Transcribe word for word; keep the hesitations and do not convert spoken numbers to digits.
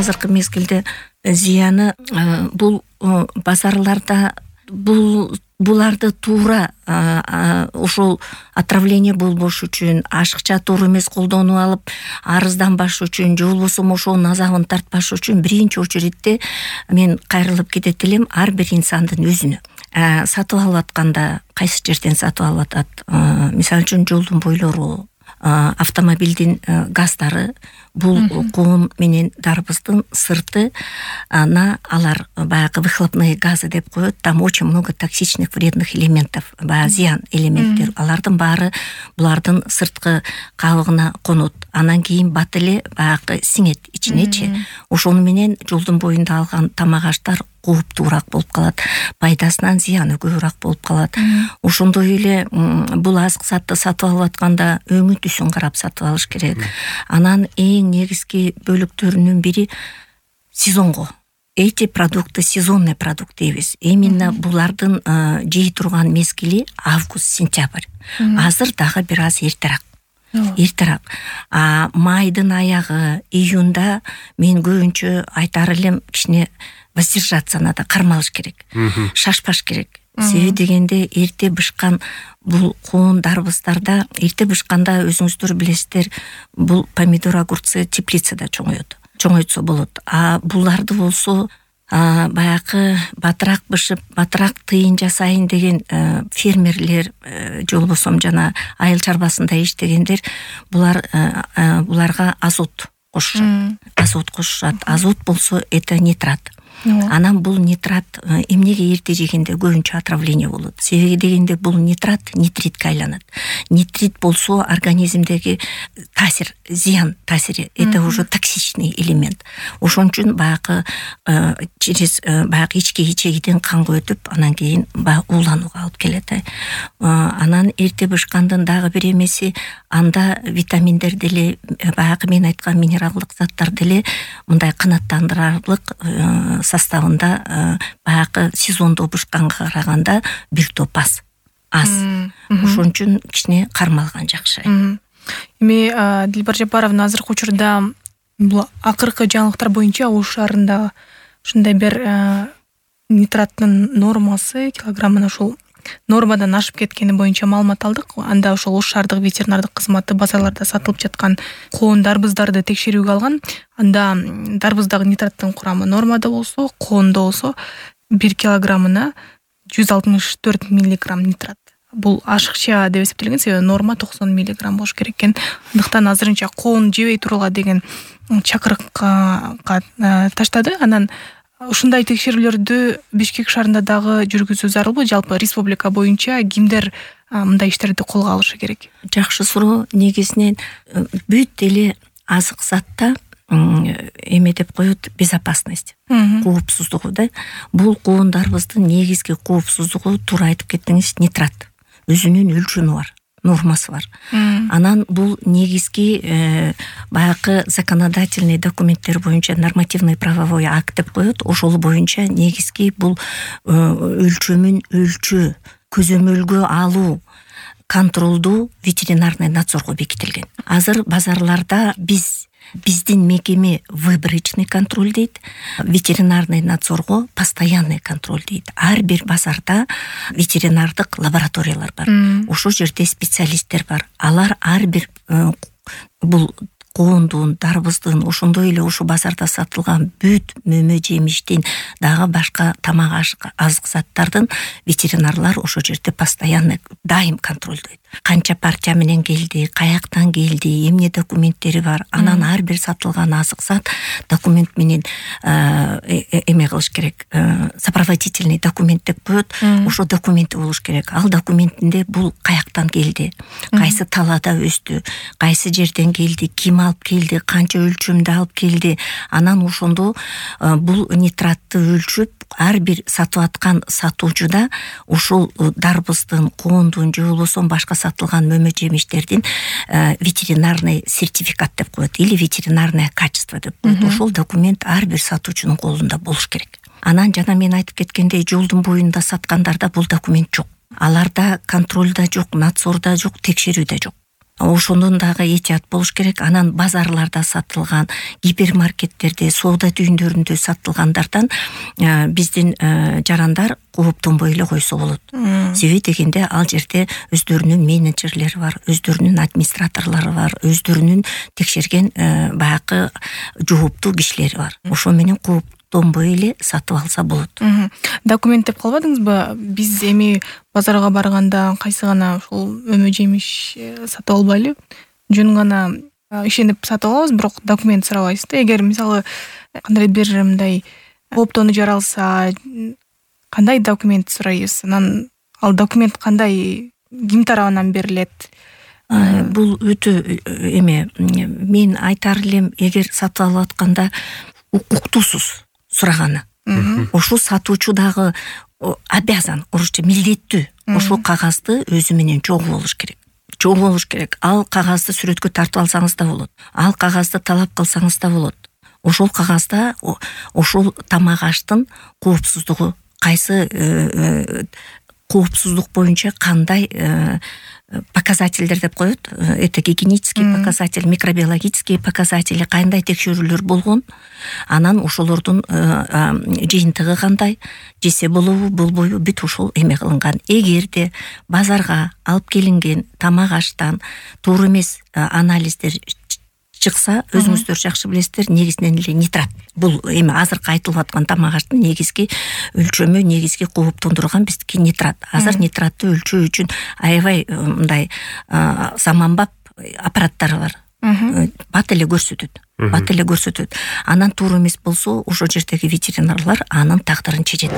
азыркы мезгилде зыяны бул базарларда бул буларды туура ошол отравление болбош үчүн, ашыкча туура эмес колдонуп алып арызданбаш үчүн же болбосо ошонун азабын тартпаш үчүн биринчи очередте мен кайрылып кетет элем ар бир инсандын өзүнө. Сатып алып атканда кайсы жерден сатып алып атат? Мисалы үчүн жолдун бойлору, автомобилдин газдары, бул коом менен дарбыздын сырты, ана алар баягы выхлопные газы деп коет, там очень много токсичных вредных элементов, баягы зыян элементтер, алардын баары булардын сырткы кабыгына конот. Анан кийин бат эле баягы сиңет ичинечи. Ошону менен жолдун боюнда алган тамак аштар кооптуураак болуп калат, пайдасынан зыяны көбүрөөк болуп калат. Ошондой эле бул азык затты сатып алып атканда өңү түсүн карап сатып алыш керек. Анан эң негизги бөлүктөрүнүн бири сезонго. Эти продукты сезонный продукт дейбиз. Именно булардын жей турган мезгили август-сентябрь. Азыр дагы бир аз эртерээк. Эртерээк. А майдын аягы, июнда мен көбүнчө айтар элем кичине воздержаться надо, кармалыш керек. Шашпаш керек. Себеби дегенде эрте бышкан бул коон дарбыздарда, эрте бышканда өзүңүздөр билесиздер, бул помидор, огурцы теплицада чоңоет. Чоңойтсо болот. А буларды болсо баягы батыраак бышып, батыраак тыйын жасайын деген фермерлер, же болбосо жана айыл чарбасында иштегендер, булар буларга азот кошушат. Азот кошушат. Азот болсо это нитрат. Анан бул нитрат эмнеге эрте жегенде көбүнчө отравление болот? Себеби дегенде бул нитрат нитритке айланат. Нитрит болсо организмдеги таасир, зыян таасири, это уже токсичный элемент. Ошон үчүн баягы через баягы ички ичегиден канга өтүп, анан кийин баягы ууланууга алып келет. Анан эрте бышкандын дагы бир эмеси, анда витаминдер деле, баягы мен айткан минералдык заттар деле мындай канааттандырарлык составында баягы сезондо бышканга караганда бир топ аз. Аз. Ошон үчүн кичине кармалган жакшы. Эми Дилбар Жапаровна азыркы учурда бул акыркы жаңылыктар боюнча Ош шаарында ушундай бир нитраттын нормасы килограммына ушул нормадан ашып кеткени боюнча маалымат алдык. Анда ошол Ош шаардык ветеринардык кызматы базарларда сатылып жаткан коон дарбыздарды текшерүүгө алган. Анда дарбыздагы нитраттын курамы нормада болсо, коонда болсо бир килограммына жүз алтымыш төрт миллиграмм нитрат. Бул ашыкча деп эсептелген, себеби норма токсон миллиграмм болуш керек экен. Андыктан азырынча коон жебей тургула деген чакырыкка таштады. Анан ушундай текшерүүлөрдү Бишкек шаарында дагы жүргүзүү зарылбы? Жалпы республика боюнча кимдер мындай иштерди колго алышы керек? Жакшы суроо. Негизинен бүт эле азык затта эме деп коет, безопасность, коопсуздугу да. Бул коон дарбыздын негизги коопсуздугу, туура айтып кеттиңиз, нитрат. Өзүнүн өлчөмү бар, нормасы бар. Анан бул негизги баягы законодательный документтер боюнча нормативный правовой акт деп коет. Ошол боюнча негизги бул өлчөмүн өлчөө, көзөмөлгө алуу, контролду ветеринарный надзорго бекитилген. Азыр базарларда биз биздин мекеме выборочный контроль дейт, ветеринарный надзорго постоянный контроль дейт. Ар бир базарда ветеринардык лабораториялар бар. Ошол жерде специалисттер бар. Алар ар бир бул коондун, дарбыздын, ошондой эле ошо базарда сатылган бүт мөмө жемиштин, дагы башка тамак азык заттардын ветеринарлар ошо жерде постоянно дайым контролдойт. Канча партия менен келди, каяктан келди, эмне документтери бар. Анан ар бир сатылган азык зат документ менен эме кылыш керек. Сопроводительный документ деп коет. Ошо документи болуш керек. Ал документинде бул каяктан келди, кайсы талаада өстү, кайсы жерден келди, ким алып келди, канча өлчөмдө алып келди. Анан ошондо бул нитратты өлчөп, ар бир сатып аткан сатуучуда ошол дарбыздын, коондун же болбосо башка сатылган мөмө жемиштердин ветеринарный сертификат деп коет, или ветеринарное качество деп коет. Ошол документ ар бир сатуучунун колунда болуш керек. Анан жана мен айтып кеткендей, жолдун боюнда саткандарда бул документ жок. Аларда контроль да жок, надзор да жок, текшерүү да жок. ошондон дагы этият болуш керек. Анан базарларда сатылган, гипермаркеттерде, соода түйүндөрүндө сатылгандардан биздин жарандар кооптонбой эле койсо болот. Себеби дегенде ал жерде өздөрүнүн менеджерлери бар, өздөрүнүн администраторлору бар, өздөрүнүн текшерген баягы жооптуу кишилери бар. Ошо менен кооптонбой эле сатып алса болот. Документ деп калбадыңызбы? Биз эми базарга барганда кайсы гана ушул өмө жемиш сатып албайлы, жөн гана ишенип сатып алабыз, бирок документ сурабайбыз да. Эгер мисалы кандайдыр бир мындай кооптонуу жаралса, кандай документ сурайбыз? Анан ал документ кандай, ким тарабынан берилет? Бул өтө эме, мен айтар элем, эгер сатып алып атканда укуктуусуз сураганы. Ошол сатуучу дагы обязан, орусча милдеттүү ошол кагазды өзү менен чогуу болуш керек. Чогуу болуш керек. Ал кагазды сүрөткө тартып алсаңыз да болот. Ал кагазды талап кылсаңыз да болот. Ошол кагазда ошол тамак аштын коопсуздугу, кайсы коопсуздук боюнча кандай показательдер деп коет. Это гигиенический показатель, микробиологический показатели, кандай текшерүүлөр болгон. Анан ошолордун жыйынтыгы кандай, жесе болобу, болбойбу, бүт ошол эме кылынган. Эгерде базарга алып келинген тамак аштан туура эмес анализдер чыкса, өзүңүздөр жакшы билесиздер, негизинен эле нитрат. Бул эми азыркы айтылып аткан тамак аштын негизги өлчөмү, негизги кооптондурган биздики нитрат. Азыр нитратты өлчөө үчүн аябай мындай заманбап аппараттар бар. Бат эле көрсөтөт. Бат эле көрсөтөт. Анан туура эмес болсо, ошол жердеги ветеринарлар анын тагдырын чечет.